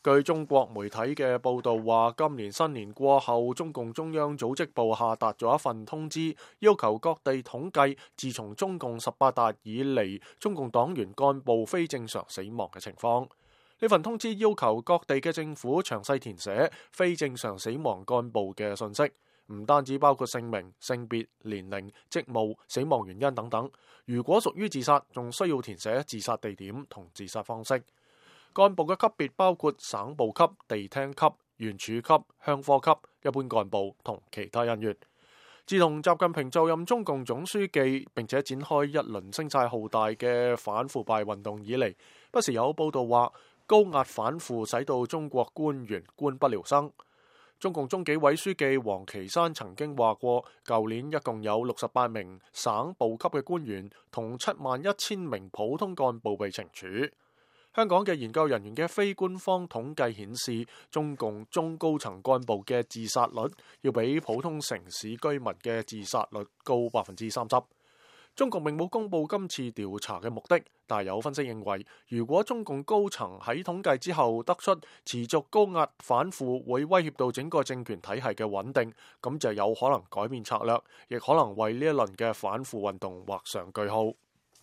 據中國媒體嘅報道話，今年新年過後，中共中央組織部下達咗一份通知，要求各地統計自從中共18大以嚟，中共黨員幹部非正常死亡嘅情況。呢份通知要求各地嘅政府詳細填寫非正常死亡幹部嘅信息，唔單止包括姓名、性別、年齡、職務、死亡原因等等。如果屬於自殺，仲需要填寫自殺地點同自殺方式。幹部嘅級別包括省部級、地廳級、縣處級、鄉科級、一般幹部同其他人員。自從習近平就任中共總書記，並且展開一輪聲勢浩大嘅反腐敗運動以嚟，不時有報道話高壓反腐使到中國官員官不聊生。中共中紀委書記王岐山曾經話過，舊年一共有68名省部級嘅官員同71000名普通幹部被懲處。香港嘅研究人員嘅非官方統計顯示，中共中高層幹部嘅自殺率要比普通城市居民嘅自殺率高30%。中共並冇公布今次調查嘅目的，但有分析認為，如果中共高層喺統計之後得出持續高壓反腐會威脅到整個政權體系嘅穩定，咁就有可能改變策略，亦可能為呢一輪嘅反腐運動畫上句號。